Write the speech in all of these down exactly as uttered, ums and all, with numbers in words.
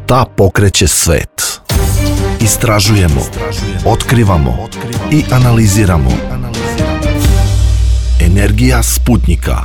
Šta pokreće svet? Istražujemo, otkrivamo i analiziramo. Energija Sputnika.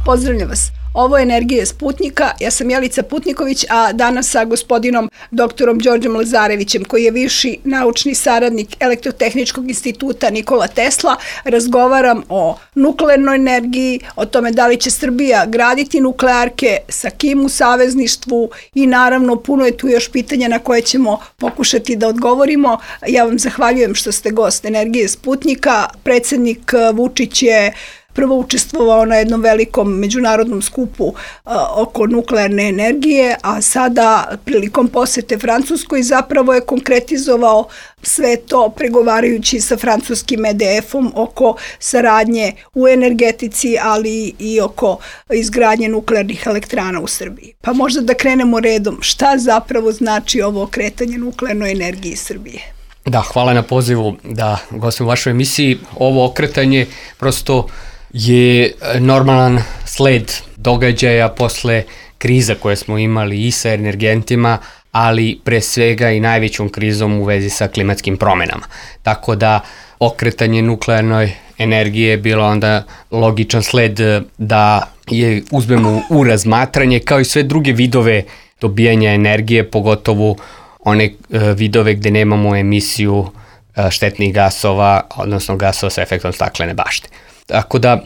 Pozdravljam vas. Ovo je Energija Sputnika, ja sam Jelica Putniković, a danas sa gospodinom doktorom Đorđem Lazarevićem, koji je viši naučni saradnik Elektrotehničkog instituta Nikola Tesla, razgovaram o nuklearnoj energiji, o tome da li će Srbija graditi nuklearke, sa kim u savezništvu i naravno puno je tu još pitanja na koje ćemo pokušati da odgovorimo. Ja vam zahvaljujem što ste gost Energije Sputnika. Predsednik Vučić je prvo učestvovao na jednom velikom međunarodnom skupu a, oko nuklearne energije, a sada prilikom posete Francuskoj zapravo je konkretizovao sve to pregovarajući sa francuskim E D F-om oko saradnje u energetici, ali i oko izgradnje nuklearnih elektrana u Srbiji. Pa možda da krenemo redom. Šta zapravo znači ovo okretanje nuklearnoj energiji Srbije? Da, hvala na pozivu da gostim u vašoj emisiji. Ovo okretanje prosto je normalan sled događaja posle kriza koje smo imali i sa energentima, ali pre svega i najvećom krizom u vezi sa klimatskim promenama. Tako da okretanje nuklearnoj energije je bilo onda logičan sled da je uzmemo u razmatranje kao i sve druge vidove dobijanja energije, pogotovo one vidove gde nemamo emisiju štetnih gasova, odnosno gasova sa efektom staklene bašte. Tako da e,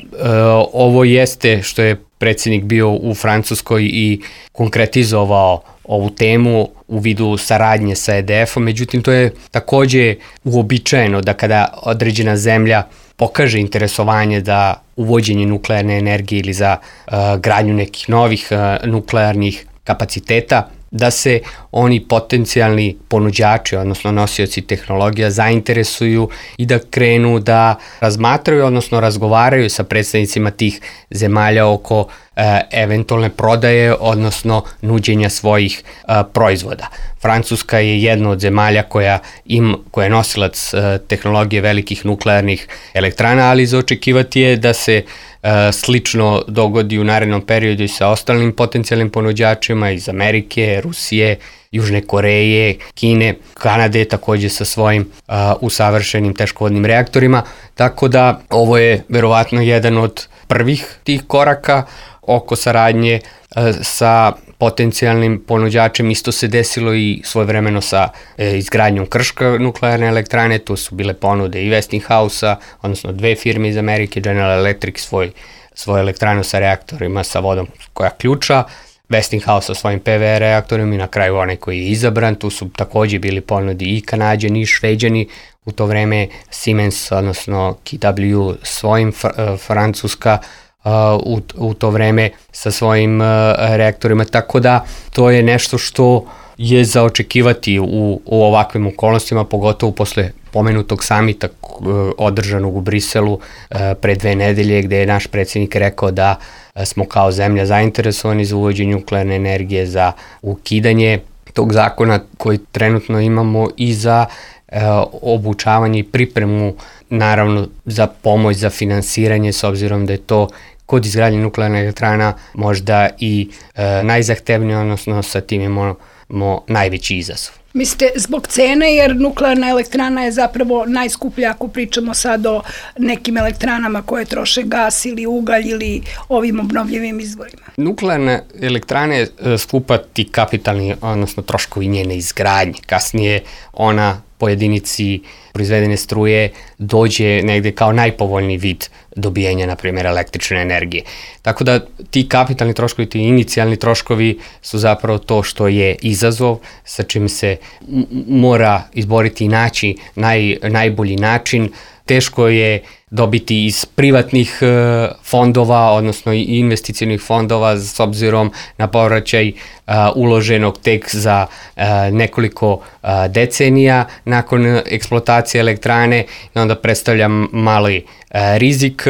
ovo jeste što je predsjednik bio u Francuskoj i konkretizovao ovu temu u vidu saradnje sa E D F-om, međutim to je takođe uobičajeno da kada određena zemlja pokaže interesovanje za uvođenje nuklearne energije ili za e, gradnju nekih novih e, nuklearnih kapaciteta, da se oni potencijalni ponuđači, odnosno nosioci tehnologija, zainteresuju i da krenu da razmatraju, odnosno razgovaraju sa predstavnicima tih zemalja oko e, eventualne prodaje, odnosno nuđenja svojih e, proizvoda. Francuska je jedna od zemalja koja, im, koja je nosilac e, tehnologije velikih nuklearnih elektrana, ali za očekivati je da se e, slično dogodi u narednom periodu i sa ostalim potencijalnim ponuđačima iz Amerike, Rusije, Južne Koreje, Kine, Kanade takođe sa svojim uh, usavršenim teškovodnim reaktorima, tako da ovo je verovatno jedan od prvih tih koraka oko saradnje uh, sa potencijalnim ponuđačem. Isto se desilo i svojevremeno sa e, izgradnjom Krška nuklearne elektrane, tu su bile ponude i Westinghouse-a, odnosno dve firme iz Amerike, General Electric svoj, svoj elektranu sa reaktorima sa vodom koja ključa, Westinghouse sa svojim P V R reaktorima i na kraju onaj koji je izabran. Tu su takođe bili ponudi i Kanađani i Šveđani, u to vreme Siemens, odnosno K W svojim, fr- Francuska uh, u, u to vreme sa svojim uh, reaktorima, tako da to je nešto što je za očekivati u, u ovakvim okolnostima, pogotovo posle pomenutog samita održanog u Briselu uh, pre dve nedelje, gde je naš predsjednik rekao da smo kao zemlja zainteresovani za uvođenje nuklearne energije, za ukidanje tog zakona koji trenutno imamo i za e, obučavanje i pripremu, naravno za pomoć, za finansiranje, s obzirom da je to kod izgradnje nuklearne elektrana možda i e, najzahtevnije, odnosno sa tim imamo mo, najveći izazov. Mislite zbog cene, jer nuklearna elektrana je zapravo najskuplja ako pričamo sad o nekim elektranama koje troše gas ili ugalj ili ovim obnovljivim izvorima? Nuklearna elektrana je skupa ti kapitalni, odnosno troškovi njene izgradnje. Kasnije ona po jedinici proizvedene struje dođe negde kao najpovoljniji vid dobijanja, na primjer, električne energije. Tako da ti kapitalni troškovi, ti inicijalni troškovi su zapravo to što je izazov, sa čim se m- mora izboriti i naći naj, najbolji način. Teško je dobiti iz privatnih e, fondova, odnosno i investicionih fondova, s obzirom na povraćaj e, uloženog tek za e, nekoliko e, decenija nakon eksploatacije elektrane, i onda predstavlja mali e, rizik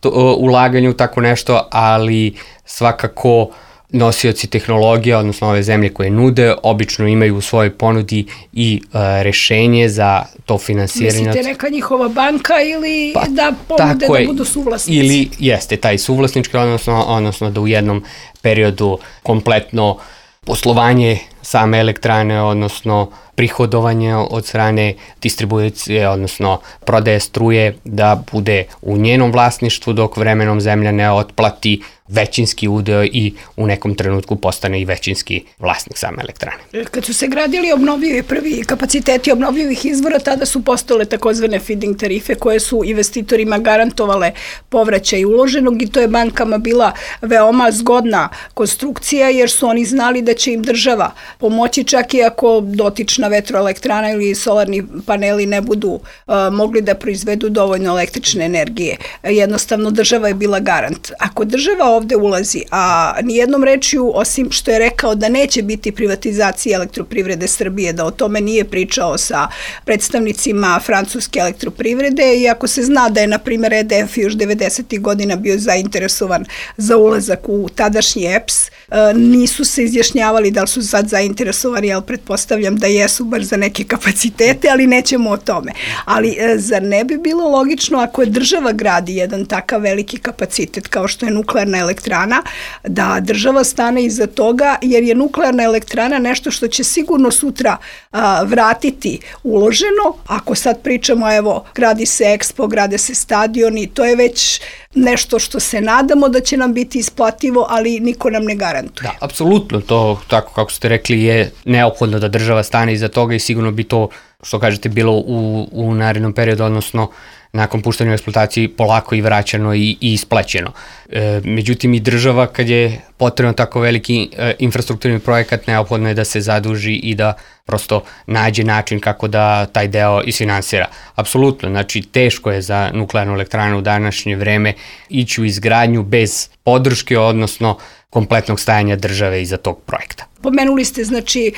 to, e, ulaganja u tako nešto, ali svakako nosioci tehnologije, odnosno ove zemlje koje nude, obično imaju u svojoj ponudi i uh, rešenje za to finansiranje. Mislite neka njihova banka ili pa, da ponude da budu suvlasnici? Ili jeste taj suvlasnički, odnosno, odnosno da u jednom periodu kompletno poslovanje same elektrane, odnosno prihodovanje od strane distribucije, odnosno prodaje struje, da bude u njenom vlasništvu, dok vremenom zemlja ne otplati većinski udeo i u nekom trenutku postane i većinski vlasnik same elektrane. Kad su se gradili obnovljivi prvi kapaciteti obnovljivih izvora, tada su postale takozvane feed-in tarife koje su investitorima garantovale povraćaj uloženog i to je bankama bila veoma zgodna konstrukcija jer su oni znali da će im država pomoći čak i ako dotična vetroelektrana ili solarni paneli ne budu uh, mogli da proizvedu dovoljno električne energije. Jednostavno država je bila garant. Ako država ovde ulazi, a nijednom rečju, osim što je rekao da neće biti privatizacije elektroprivrede Srbije, da o tome nije pričao sa predstavnicima francuske elektroprivrede, iako se zna da je, na primjer, E D F još devedesetih godina bio zainteresovan za ulazak u tadašnji E P S, nisu se izjašnjavali da li su sad zainteresovani, ali pretpostavljam da jesu bar za neke kapacitete, ali nećemo o tome. Ali zar ne bi bilo logično ako je država gradi jedan takav veliki kapacitet kao što je nuklearna elektrana, da država stane iza toga, jer je nuklearna elektrana nešto što će sigurno sutra a, vratiti uloženo. Ako sad pričamo, evo, gradi se Expo, grade se stadioni, to je već nešto što se nadamo da će nam biti isplativo, ali niko nam ne garantuje. Da, apsolutno, to, tako kako ste rekli, je neophodno da država stane iza toga i sigurno bi to, što kažete, bilo u, u narednom periodu, odnosno nakon puštanja u eksploataciji polako i vraćano i, i isplaćeno. E, međutim, i država, kad je potrebno tako veliki e, infrastrukturni projekat, neophodno je da se zaduži i da prosto nađe način kako da taj deo isfinansira. Apsolutno, znači teško je za nuklearnu elektranu u današnje vreme ići u izgradnju bez podrške, odnosno kompletnog stajanja države iza tog projekta. Pomenuli ste, znači,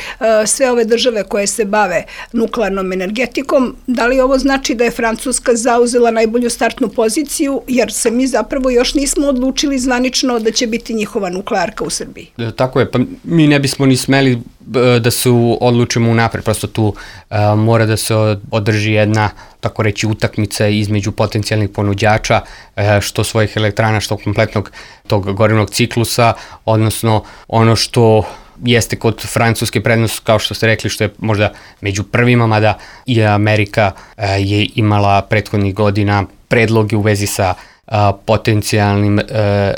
sve ove države koje se bave nuklearnom energetikom. Da li ovo znači da je Francuska zauzela najbolju startnu poziciju, jer se mi zapravo još nismo odlučili zvanično da će biti njihova nuklearka u Srbiji? Tako je, pa mi ne bismo ni smeli da se odlučimo unapred, prosto tu a, mora da se održi jedna, tako reći, utakmica između potencijalnih ponuđača, a, što svojih elektrana, što kompletnog tog gorivnog ciklusa, odnosno ono što jeste kod Francuske prednost, kao što ste rekli, što je možda među prvima, mada i Amerika a, je imala prethodnih godina predloge u vezi sa a, potencijalnim a,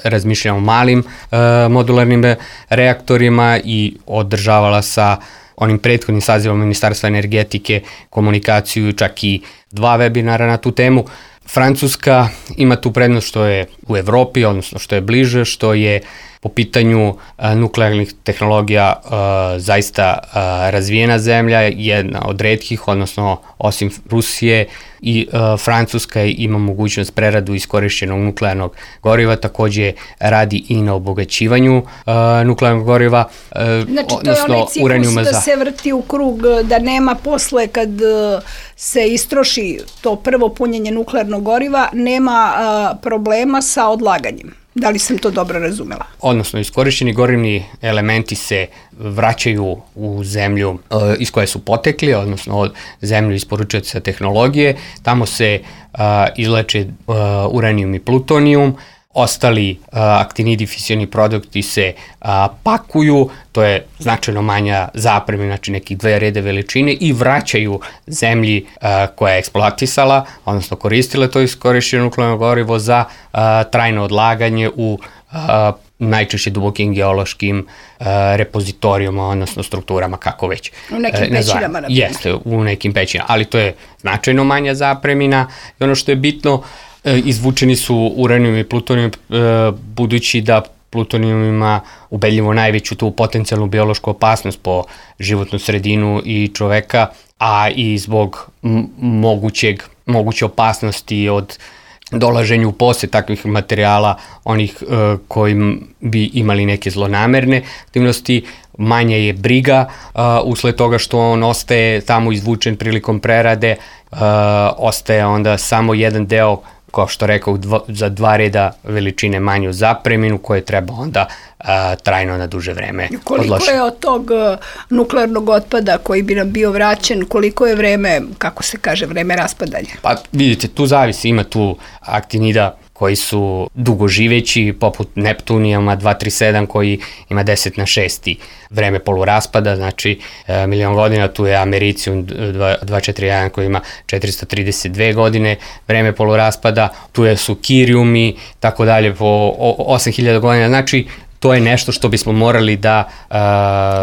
razmišljanjem o malim a, modularnim reaktorima i održavala sa onim prethodnim sazivom Ministarstva energetike komunikaciju, čak i dva webinara na tu temu. Francuska ima tu prednost što je u Evropi, odnosno što je bliže, što je po pitanju a, nuklearnih tehnologija a, zaista a, razvijena zemlja, jedna od retkih, odnosno osim Rusije i a, Francuska ima mogućnost preradu iskorišćenog nuklearnog goriva, takođe radi i na obogaćivanju a, nuklearnog goriva, a, znači, to je onaj ciklus da za... se vrti u krug, da nema posle kad se istroši to prvo punjenje nuklearnog goriva, nema a, problema sa odlaganjem. Da li sam to dobro razumela? Odnosno, iskorišćeni gorivni elementi se vraćaju u zemlju uh, iz koje su potekli, odnosno od zemlju isporučioca tehnologije. Tamo se uh, izleče uh, uranijum i plutonijum, ostali uh, aktinidi fisioni produkti se uh, pakuju, to je značajno manja zapremina, znači nekih dve rede veličine, i vraćaju zemlji uh, koja je eksploatisala, odnosno koristila to iskorišćeno nuklearno gorivo za uh, trajno odlaganje u uh, najčešće dubokim geološkim uh, repozitorijama, odnosno strukturama, kako već. U nekim uh, pećinama, na primjer. Jeste, u nekim pećinama, ali to je značajno manja zapremina i ono što je bitno, izvučeni su uranijum i plutonijum, budući da plutonijum ima ubedljivo najveću tu potencijalnu biološku opasnost po životnu sredinu i čoveka, a i zbog mogućeg, moguće opasnosti od dolaženju u posjed takvih materijala, onih uh, koji bi imali neke zlonamerne aktivnosti, manja je briga uh, usled toga što on ostaje tamo izvučen prilikom prerade, uh, ostaje onda samo jedan deo, kao što rekao, dva, za dva reda veličine manju zapreminu koje treba onda a, trajno na duže vreme odložiti. Koliko je od tog uh, nuklearnog otpada koji bi nam bio vraćen, koliko je vreme, kako se kaže, vreme raspadanja? Pa vidite, tu zavisi, ima tu aktinida koji su dugoživeći, poput Neptunijuma dva tri sedam koji ima deset na šest vreme poluraspada, znači milion godina, tu je Americium dva četiri jedan koji ima četiristo trideset dve godine vreme poluraspada, tu je su Kiriumi, tako dalje, po osam hiljada godina, znači to je nešto što bismo morali da, uh,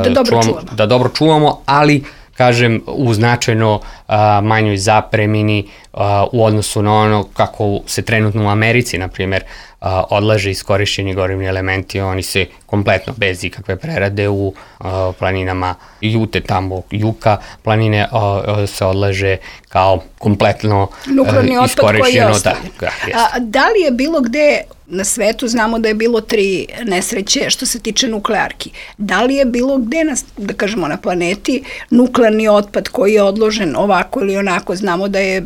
da, dobro, čuvamo, čuvamo. da dobro čuvamo, ali kažem u značajno uh, manjoj zapremini uh, u odnosu na ono kako se trenutno u Americi, na primjer, uh, odlaže iskorišćeni gorivni elementi, oni se kompletno bez ikakve prerade u uh, planinama Jute, tamo Juka, planine uh, se odlaže kao kompletno uh, iskorišćeno. Da, da, A, da li je bilo gde na svetu, znamo da je bilo tri nesreće što se tiče nuklearki. Da li je bilo gde, na, da kažemo na planeti, nuklearni otpad koji je odložen ovako ili onako? Znamo da je,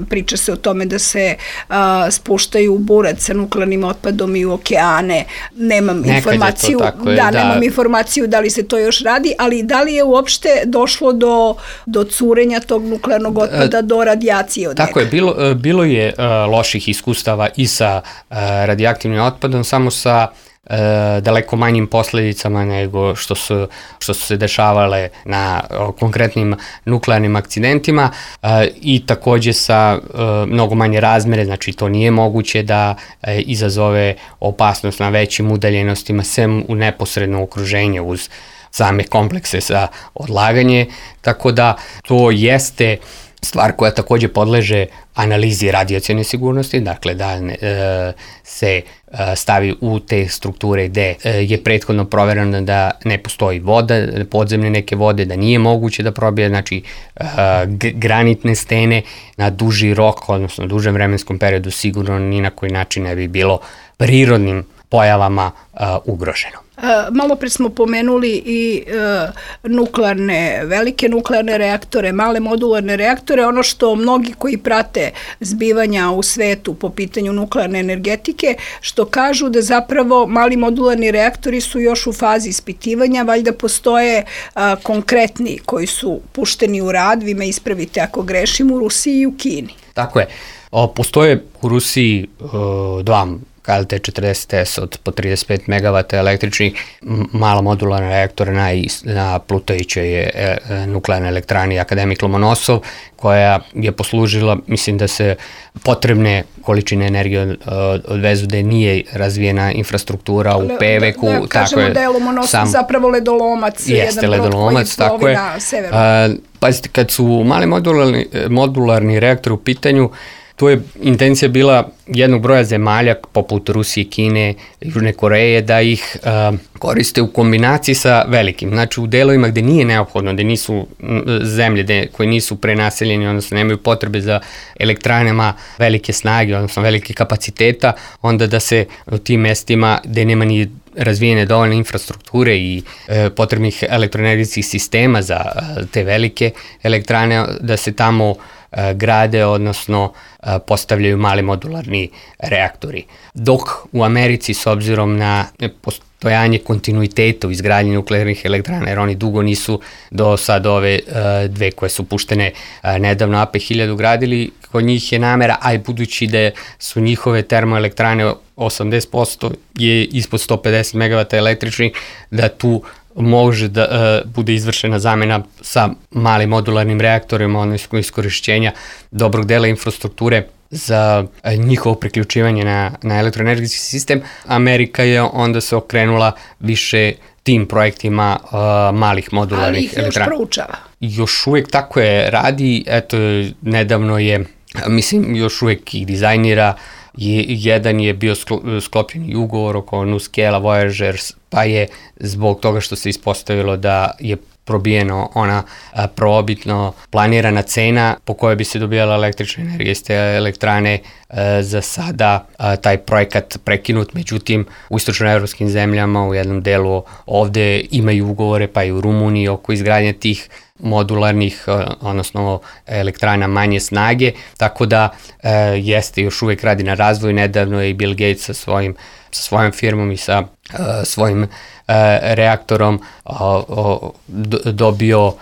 priča se o tome da se a, spuštaju u burac sa nuklearnim otpadom i u okeane. Nemam Nekad informaciju, je, da, da, nemam informaciju da li se to još radi, ali da li je uopšte došlo do, do curenja tog nuklearnog otpada, e, do radijacije od Tako njega? je, bilo, bilo je uh, loših iskustava i sa uh, radijacijom aktivnim otpadom, samo sa e, daleko manjim posledicama nego što su, što su se dešavale na o, konkretnim nuklearnim akcidentima e, i takođe sa e, mnogo manje razmere, znači to nije moguće da e, izazove opasnost na većim udaljenostima, sem u neposredno okruženje uz same komplekse za odlaganje, tako da to jeste stvar koja takođe podleže analizi radijacione sigurnosti, dakle da e, se e, stavi u te strukture gde e, je prethodno provereno da ne postoji voda, podzemne neke vode, da nije moguće da probije, znači e, granitne stene na duži rok, odnosno dužem vremenskom periodu sigurno ni na koji način ne bi bilo prirodnim pojavama e, ugroženo. Malo pre smo pomenuli i e, nuklearne, velike nuklearne reaktore, male modularne reaktore. Ono što mnogi koji prate zbivanja u svetu po pitanju nuklearne energetike, što kažu da zapravo mali modularni reaktori su još u fazi ispitivanja, valjda postoje a, konkretni koji su pušteni u rad, vi me ispravite ako grešim, u Rusiji i u Kini. Tako je. O, postoje u Rusiji o, dva K L T četrdeset S od po trideset pet megavata električnih, mala modularna reaktora na, na plutajućoj e, e, nuklearnoj elektrani Akademik Lomonosov, koja je poslužila, mislim da se potrebne količine energije od, odvezu, da nije razvijena infrastruktura u Peveku. Da, da kažemo da je Lomonosov sam, zapravo ledolomac, jeste jedan ledolomac, brod koji plovi na severu. Pazite, kad su mali modularni, modularni reaktori u pitanju, tu je intencija bila jednog broja zemalja poput Rusije, Kine, Južne Koreje da ih uh, koriste u kombinaciji sa velikim. Znači u delovima gde nije neophodno, gde nisu zemlje gde, koje nisu prenaseljeni, odnosno nemaju potrebe za elektranama velike snage, odnosno velike kapaciteta, onda da se u tim mestima gde nema ni razvijene dovoljne infrastrukture i e, potrebnih elektroenergetskih sistema za e, te velike elektrane, da se tamo e, grade, odnosno e, postavljaju mali modularni reaktori. Dok u Americi, s obzirom na postojanje kontinuiteta u izgradnji nuklearnih elektrana, jer oni dugo nisu do sad ove e, dve koje su puštene e, nedavno A P hiljadu gradili, kod njih je namera, a i budući da su njihove termoelektrane osamdeset posto je ispod sto pedeset megavata električnih, da tu može da uh, bude izvršena zamena sa malim modularnim reaktorima, odnosno iskorišćenja dobrog dela infrastrukture za uh, njihovo priključivanje na, na elektroenergetski sistem. Amerika je onda se okrenula više tim projektima uh, malih modularnih elektrana. Ali ih još proučava. Još uvijek tako je radi, eto, nedavno je, mislim, još uvijek ih dizajnira. Je, jedan je bio sklopljen ugovor oko NuScale Voyager, pa je zbog toga što se ispostavilo da je probijeno ona a, prvobitno planirana cena po kojoj bi se dobijala električna energija iz te elektrane, a, za sada a, taj projekat prekinut. Međutim, u istočnoevropskim zemljama u jednom delu ovde imaju ugovore, pa i u Rumuniji oko izgradnje tih modularnih, odnosno elektrana manje snage, tako da e, jeste, još uvijek radi na razvoju. Nedavno je i Bill Gates sa svojim sa svojom firmom i sa e, svojim e, reaktorom dobio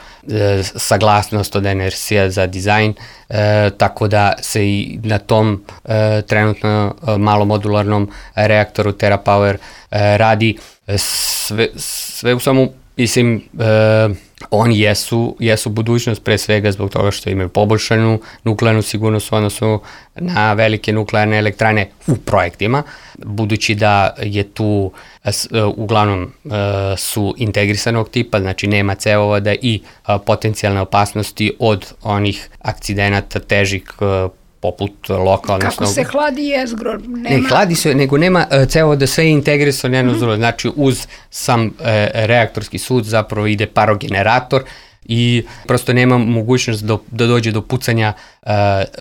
saglasnost od N R C-a za dizajn, tako da se i na tom trenutno malomodularnom reaktoru TerraPower radi. Sve, sve u samu, mislim, oni jesu, jesu budućnost pre svega zbog toga što imaju poboljšanu nuklearnu sigurnost u odnosu na velike nuklearne elektrane u projektima, budući da je tu uglavnom su integrisanog tipa, znači nema cevovoda i potencijalne opasnosti od onih akcidenata težih poput lokalno. Kako se hladi jezgro? Nema... Ne, hladi se, nego nema cevovoda, sve je integrisano jedno mm-hmm. znači uz sam e, reaktorski sud zapravo ide parogenerator i prosto nema mogućnost do, da dođe do pucanja e,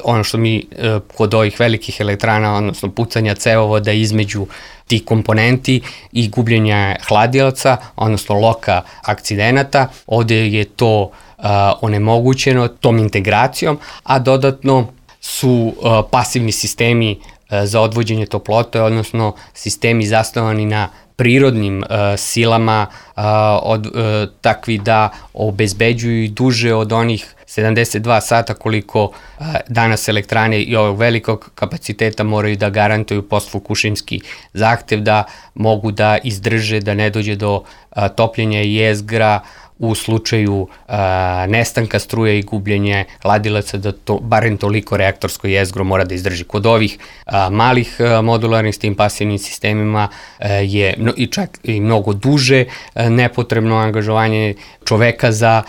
ono što mi e, kod ovih velikih elektrana, odnosno pucanja cevovoda između tih komponenti i gubljenja hladilaca, odnosno loka akcidenata. Ovde je to e, onemogućeno tom integracijom, a dodatno su uh, pasivni sistemi uh, za odvođenje toplote, odnosno sistemi zasnovani na prirodnim uh, silama uh, od, uh, takvi da obezbeđuju duže od onih sedamdeset dva sata koliko uh, danas elektrane i ovog velikog kapaciteta moraju da garantuju postfukušimski zahtev da mogu da izdrže, da ne dođe do uh, topljenja jezgra u slučaju a, nestanka struje i gubljenje hladilaca, da to, barem toliko reaktorsko jezgro mora da izdrži. Kod ovih a, malih a, modularnih s tim pasivnim sistemima a, je no, i čak i mnogo duže a, nepotrebno angažovanje čoveka za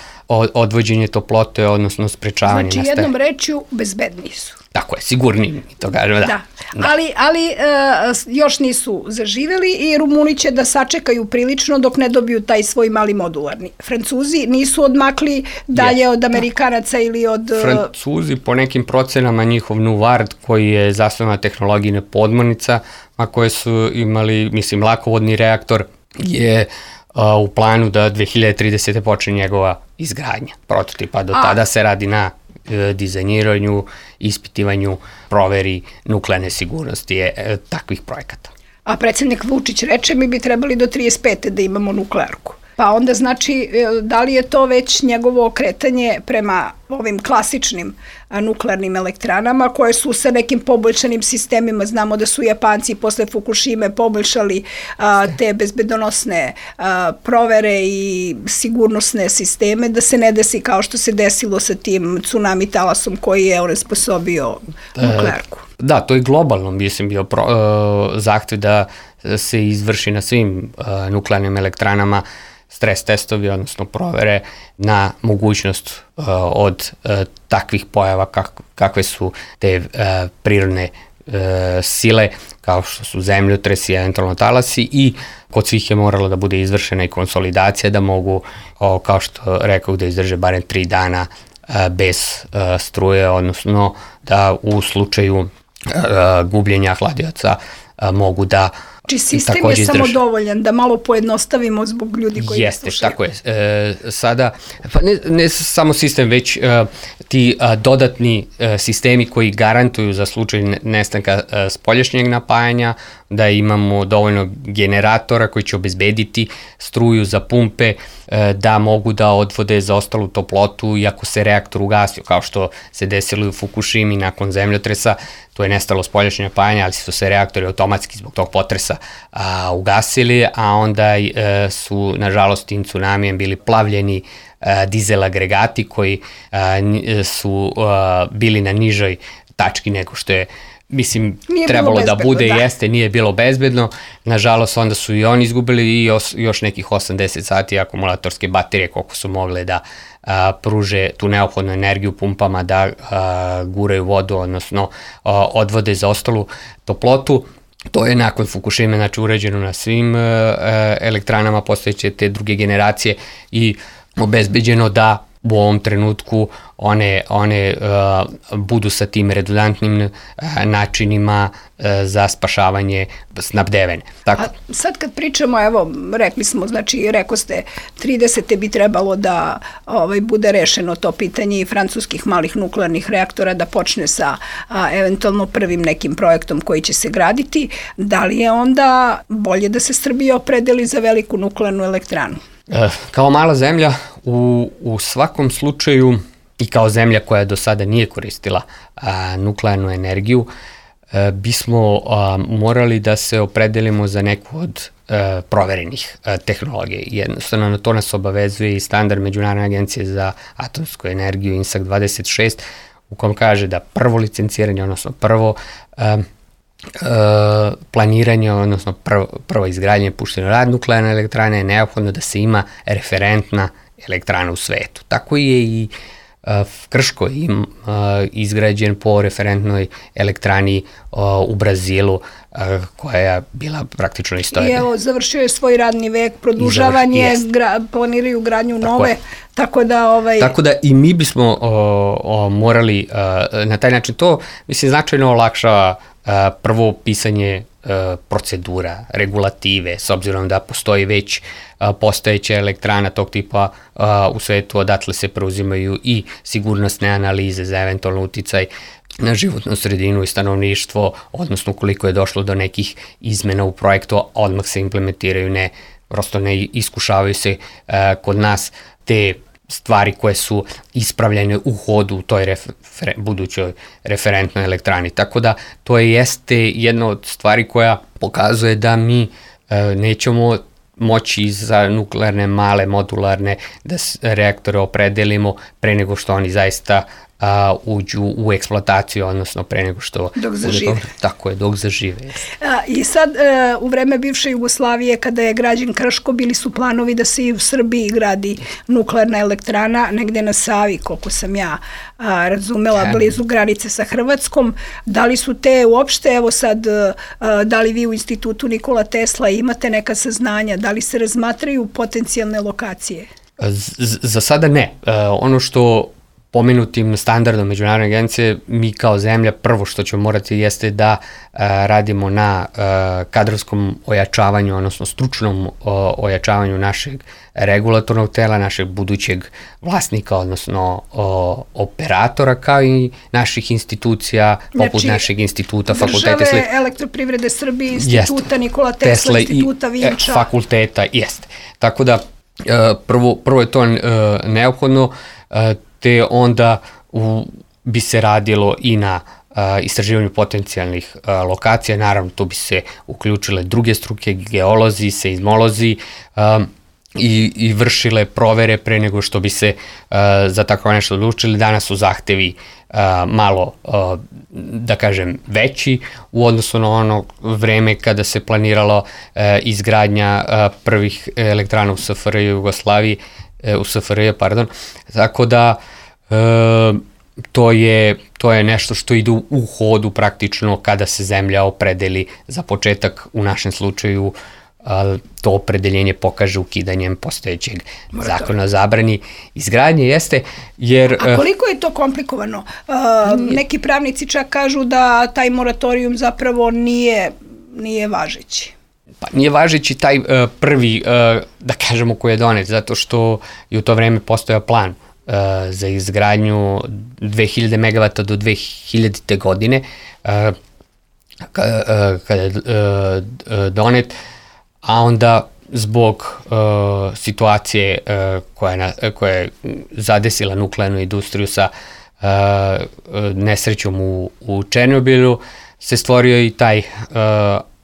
odvođenje toplote, odnosno sprečavanje. Znači, jednom rečju, bezbedniji su. Tako je, sigurni, to kažemo, da. da. da. Ali, ali e, još nisu zaživeli i Rumuni će da sačekaju prilično dok ne dobiju taj svoj mali modularni. Francuzi nisu odmakli dalje yes. od Amerikanaca ili od... Francuzi, po nekim procenama, njihov Nuvard, koji je zasnovan na tehnologijne podmornica, a koje su imali, mislim, lakovodni reaktor, je a, u planu da dve hiljade tridesete počne njegova izgradnja prototipa. Do a. tada se radi na dizajniranju, ispitivanju, proveri nuklearne sigurnosti je, takvih projekata. A predsjednik Vučić reče mi bi trebali do trideset pete da imamo nuklearku. Pa onda znači, da li je to već njegovo okretanje prema ovim klasičnim nuklearnim elektranama koje su sa nekim poboljšanim sistemima, znamo da su Japanci posle Fukushime poboljšali a, te bezbedonosne a, provere i sigurnosne sisteme, da se ne desi kao što se desilo sa tim tsunami talasom koji je onesposobio nuklearku. E, da, to je globalno, mislim, bio pro, uh, zahtev da se izvrši na svim uh, nuklearnim elektranama stres testovi, odnosno provere na mogućnost uh, od uh, takvih pojava kak, kakve su te uh, prirodne uh, sile, kao što su zemljotresi, eventualno talasi, i kod svih je moralo da bude izvršena i konsolidacija da mogu, o, kao što rekao, da izdrže barem tri dana uh, bez uh, struje, odnosno da u slučaju uh, gubljenja hladioca uh, mogu da Znači sistem je samo dovoljan, da malo pojednostavimo zbog ljudi koji Jeste, ne slušaju. tako je. E, sada, pa ne, ne samo sistem, već e, ti a, dodatni e, sistemi koji garantuju za slučaj nestanka e, spoljašnjeg napajanja, da imamo dovoljno generatora koji će obezbediti struju za pumpe, e, da mogu da odvode zaostalu toplotu i ako se reaktor ugasio, kao što se desilo u Fukushimi nakon zemljotresa, to je nestalo spoljašnje napajanje, ali su se reaktori automatski zbog tog potresa a, ugasili, a onda e, su, nažalost, tim tsunamijem bili plavljeni a, dizel agregati koji a, su a, bili na nižoj tački nego što je, mislim, nije trebalo da bude, da. Jeste, nije bilo bezbedno. Nažalost, onda su i oni izgubili i još, još nekih osamdeset sati akumulatorske baterije koliko su mogle da a, pruže tu neophodnu energiju pumpama da a, guraju vodu, odnosno a, odvode za ostalu toplotu. To je nakon Fukushime, znači, uređeno na svim a, elektranama postojeće te druge generacije i obezbeđeno da u ovom trenutku one, one uh, budu sa tim redundantnim uh, načinima uh, za spašavanje snabdevene. Tako. A sad kad pričamo, evo, rekli smo, znači, rekao ste, tridesete bi trebalo da ovaj, bude rešeno to pitanje i francuskih malih nuklearnih reaktora, da počne sa a, eventualno prvim nekim projektom koji će se graditi. Da li je onda bolje da se Srbija opredeli za veliku nuklearnu elektranu? E, kao mala zemlja, u, u svakom slučaju i kao zemlja koja do sada nije koristila a, nuklearnu energiju, a, bismo a, morali da se opredelimo za neku od a, proverenih a, tehnologije. Jednostavno, na to nas obavezuje i standard Međunarodne agencije za atomsku energiju I N S A C dvadeset šest, u kom kaže da prvo licenciranje, odnosno prvo a, Uh, planiranje, odnosno prvo, prvo izgradnje pušteno rad nuklearne elektrane je neophodno da se ima referentna elektrana u svetu. Tako je i uh, Krško im, uh, izgrađen po referentnoj elektrani uh, u Brazilu, uh, koja je bila praktično isto. I evo, završio je svoj radni vek, produžavanje, gra, planiraju gradnju tako nove, je. tako da... Ovaj... Tako da i mi bismo uh, uh, morali uh, na taj način to, mislim, značajno olakšava Uh, prvo pisanje uh, procedura, regulative, s obzirom da postoji već uh, postojeća elektrana tog tipa uh, u svetu, odatle se preuzimaju i sigurnosne analize za eventualno uticaj na životnu sredinu i stanovništvo, odnosno koliko je došlo do nekih izmena u projektu, odmah se implementiraju, ne, prosto ne iskušavaju se uh, kod nas te stvari koje su ispravljene u hodu u toj refer, budućoj referentnoj elektrani. Tako da to je jeste jedna od stvari koja pokazuje da mi e, nećemo moći za nuklearne male modularne da reaktore opredelimo pre nego što oni zaista a, uđu u eksploataciju, odnosno pre nego što... Dok zažive. Bude, tako je, dok zažive. A, I sad, e, u vreme bivše Jugoslavije, kada je građen Krško, bili su planovi da se i u Srbiji gradi nuklearna elektrana, negde na Savi, koliko sam ja a, razumela, ja. blizu granice sa Hrvatskom. Da li su te uopšte, evo sad, a, da li vi u institutu Nikola Tesla imate neka saznanja, da li se razmatraju potencijalne lokacije? Z, za sada ne. E, ono što pomenutim standardom Međunarodne agencije, mi kao zemlja prvo što ćemo morati jeste da uh, radimo na uh, kadrovskom ojačavanju, odnosno stručnom uh, ojačavanju našeg regulatornog tela, našeg budućeg vlasnika, odnosno uh, operatora, kao i naših institucija, poput znači, našeg instituta, fakulteta. Države, Elektroprivrede Srbije, instituta jest, Nikola Tesla, Tesla instituta i, Vinča. E, fakulteta, jeste. Tako da, uh, prvo, prvo je to uh, neophodno, uh, te onda u, bi se radilo i na uh, istraživanju potencijalnih uh, lokacija. Naravno, tu bi se uključile druge struke, geolozi, seizmolozi um, i, i vršile provere pre nego što bi se uh, za tako nešto odlučili. Danas su zahtevi uh, malo, uh, da kažem, veći u odnosu na ono vreme kada se planiralo uh, izgradnja uh, prvih elektrana u S F R J Jugoslaviji, u S F R J, pardon, tako da e, to, je, to je nešto što ide u hodu praktično kada se zemlja opredeli za početak, u našem slučaju a, to opredeljenje pokaže ukidanjem postojećeg zakona o zabrani izgradnje, jeste, jer... A koliko je to komplikovano? A, neki pravnici čak kažu da taj moratorijum zapravo nije, nije važeći. Pa nije važeći taj uh, prvi, uh, da kažemo, koji je donet, zato što je u to vreme postojao plan uh, za izgradnju dve hiljade megavata do dve hiljadite godine, uh, kada uh, je uh, donet, a onda zbog uh, situacije uh, koja, na, koja je zadesila nuklearnu industriju sa uh, nesrećom u, u Černobilu, se stvorio i taj uh,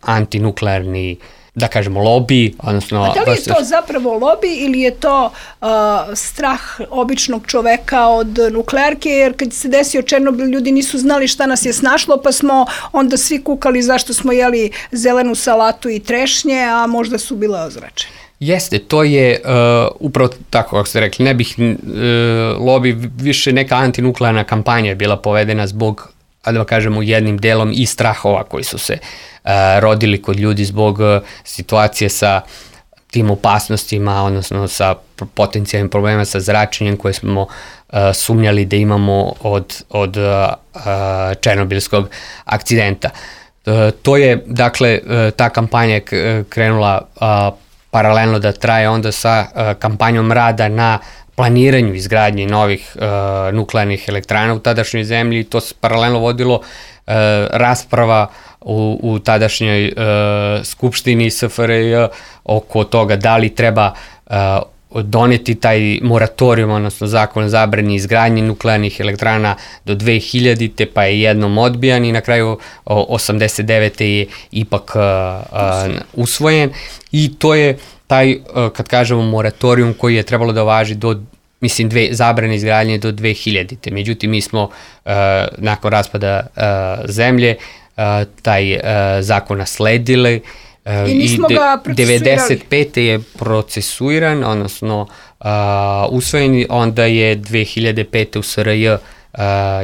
antinuklearni, da kažemo, lobby, odnosno... A da li je to zapravo lobby ili je to uh, strah običnog čoveka od nuklearke, jer kad se desio Černobil, ljudi nisu znali šta nas je snašlo, pa smo onda svi kukali zašto smo jeli zelenu salatu i trešnje, a možda su bile ozračene. Jeste, to je uh, upravo tako, kako ste rekli, ne bih uh, lobby, više neka antinuklearna kampanja je bila povedena zbog, da kažemo, jednim delom i strahova koji su se uh, rodili kod ljudi zbog uh, situacije sa tim opasnostima, odnosno sa potencijalnim problema sa zračenjem koje smo uh, sumnjali da imamo od, od uh, uh, černobilskog akcidenta. Uh, to je, dakle, uh, ta kampanja je krenula uh, paralelno da traje onda sa uh, kampanjom rada na planiranju izgradnje novih uh, nuklearnih elektrana u tadašnjoj zemlji. To se paralelno vodilo uh, rasprava u, u tadašnjoj uh, skupštini S F R J oko toga da li treba uh, doneti taj moratorijum, odnosno zakon o zabrani izgradnje nuklearnih elektrana do dve hiljadite, pa je jednom odbijan i na kraju osamdeset devete je ipak uh, uh, usvojen. I to je taj, uh, kad kažemo moratorijum koji je trebalo da važi do, mislim, dve, zabrane izgradnje do dve hiljadite. Međutim, mi smo uh, nakon raspada uh, zemlje uh, taj uh, zakon nasledili. I nismo ga procesuirali. devedeset pete je procesuiran, odnosno uh, usvojen, onda je dve hiljade pete u S R J uh,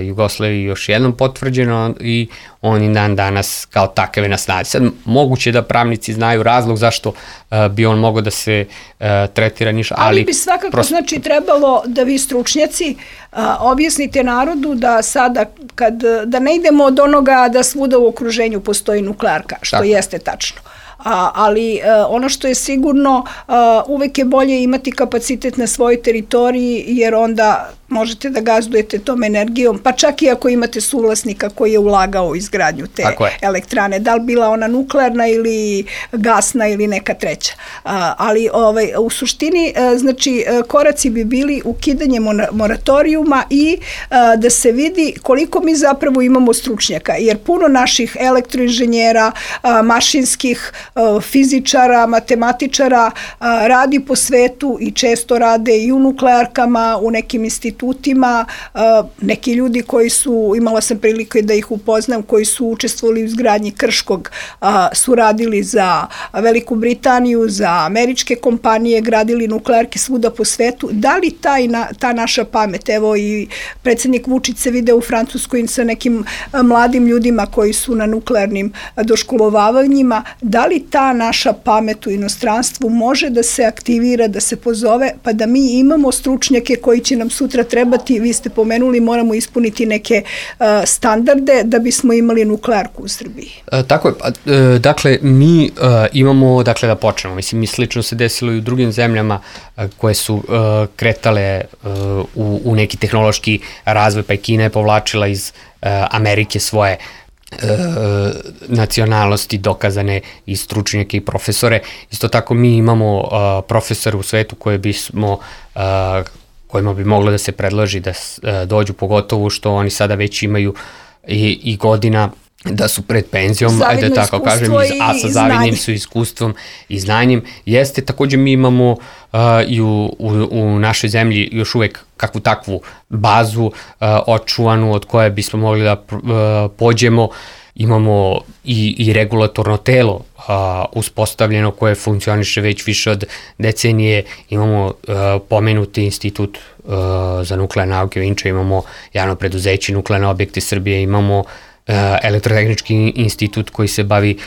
Jugoslaviji još jednom potvrđeno i on i dan danas kao takav je na snazi. Sad, moguće da pravnici znaju razlog zašto uh, bi on mogao da se uh, tretira ništa, ali... Ali bi svakako, prosto... znači, trebalo da vi stručnjaci uh, objasnite narodu da sada, kad, da ne idemo od onoga da svuda u okruženju postoji nuklearka, što tako jeste tačno. A, ali uh, ono što je sigurno, uh, uvek je bolje imati kapacitet na svojoj teritoriji, jer onda možete da gazdujete tom energijom, pa čak i ako imate suvlasnika koji je ulagao u izgradnju te elektrane, da li bila ona nuklearna ili gasna ili neka treća. Uh, ali ovaj, u suštini, uh, znači, uh, koraci bi bili ukidanje moratorijuma i uh, da se vidi koliko mi zapravo imamo stručnjaka, jer puno naših elektroinženjera, uh, mašinskih, uh, fizičara, matematičara uh, radi po svetu i često rade i u nuklearkama, u nekim institucijama, institutima, neki ljudi koji su, imala sam prilike da ih upoznam, koji su učestvovali u izgradnji Krškog, su radili za Veliku Britaniju, za američke kompanije, gradili nuklearke svuda po svetu. Da li taj, ta naša pamet, evo i predsjednik Vučić se video u Francuskoj sa nekim mladim ljudima koji su na nuklearnim doškolovavanjima, da li ta naša pamet u inostranstvu može da se aktivira, da se pozove, pa da mi imamo stručnjake koji će nam sutra trebati, vi ste pomenuli, moramo ispuniti neke uh, standarde da bismo imali nuklearku u Srbiji. E, tako je, pa, e, dakle, mi e, imamo, dakle, da počnemo, mislim, mi slično se desilo i u drugim zemljama e, koje su e, kretale e, u, u neki tehnološki razvoj, pa i Kina je povlačila iz e, Amerike svoje E, nacionalnosti dokazane i stručnjake i profesore. Isto tako mi imamo uh, profesore u svetu koje bismo uh, kojima bi moglo da se predloži da uh, dođu, pogotovo što oni sada već imaju i, i godina da su pred penzijom, zavidno ajde tako kažem, a sa zavidnim su iskustvom i znanjem. Jeste, takođe mi imamo uh, i u, u, u našoj zemlji još uvek kakvu takvu bazu uh, očuvanu od koje bismo mogli da uh, pođemo. Imamo i, i regulatorno telo uh, uspostavljeno koje funkcioniše već više od decenije. Imamo uh, pomenuti institut uh, za nuklearne nauke u Vinča, imamo javno preduzeće Nuklearne objekte Srbije, imamo Elektrotehnički institut koji se bavi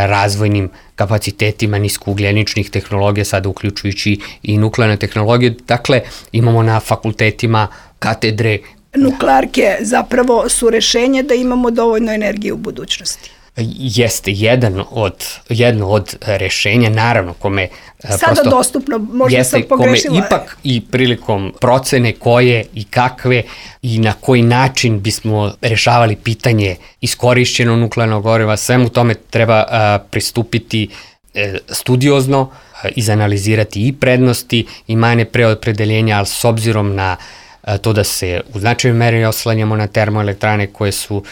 razvojnim kapacitetima niskougljeničnih tehnologija, sada uključujući i nuklearne tehnologije. Dakle, imamo na fakultetima katedre. Nuklearke zapravo su rešenje da imamo dovoljno energije u budućnosti. Jeste jedan od, jedno od rešenja, naravno, kome sada prosto, dostupno, možda jeste, sam pogrešila. Kome ipak i prilikom procene koje i kakve i na koji način bismo rešavali pitanje iskorišćenog nuklearnog goriva, svemu tome treba a, pristupiti e, studiozno, a, izanalizirati i prednosti i mane preopredeljenja, ali s obzirom na a, to da se u značajnoj meri oslanjamo na termoelektrane koje su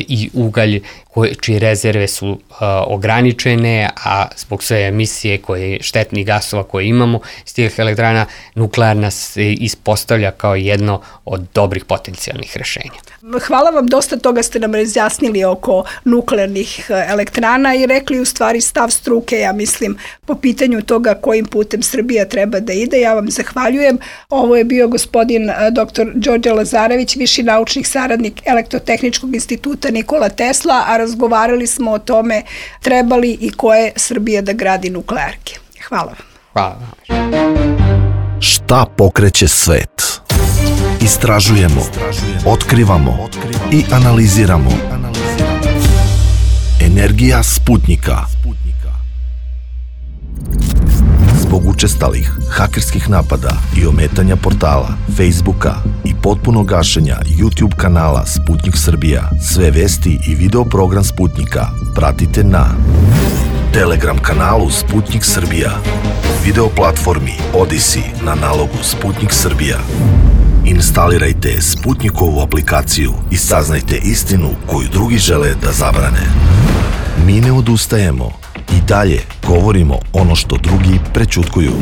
i ugalj koje, čije rezerve su uh, ograničene, a zbog sve emisije koje, štetnih gasova koje imamo iz tih elektrana, nuklearna se ispostavlja kao jedno od dobrih potencijalnih rešenja. Hvala vam, dosta toga ste nam razjasnili oko nuklearnih elektrana i rekli u stvari stav struke, ja mislim, po pitanju toga kojim putem Srbija treba da ide. Ja vam zahvaljujem. Ovo je bio gospodin doktor Đorđe Lazarević, viši naučni saradnik Elektrotehničkog instituta Nikola Tesla, a razgovarali smo o tome treba li i koje Srbija da gradi nuklearke. Hvala vam. Hvala. Šta pokreće svet? Istražujemo, otkrivamo i analiziramo. Energija Sputnika. Zbog učestalih hakerskih napada i ometanja portala, Facebooka i potpunog gašenja YouTube kanala Sputnik Srbija, sve vesti i video program Sputnika pratite na Telegram kanalu Sputnik Srbija, video platformi Odyssey na nalogu Sputnik Srbija. Instalirajte Sputnikovu aplikaciju i saznajte istinu koju drugi žele da zabrane. Mi ne odustajemo i dalje govorimo ono što drugi prećutkuju.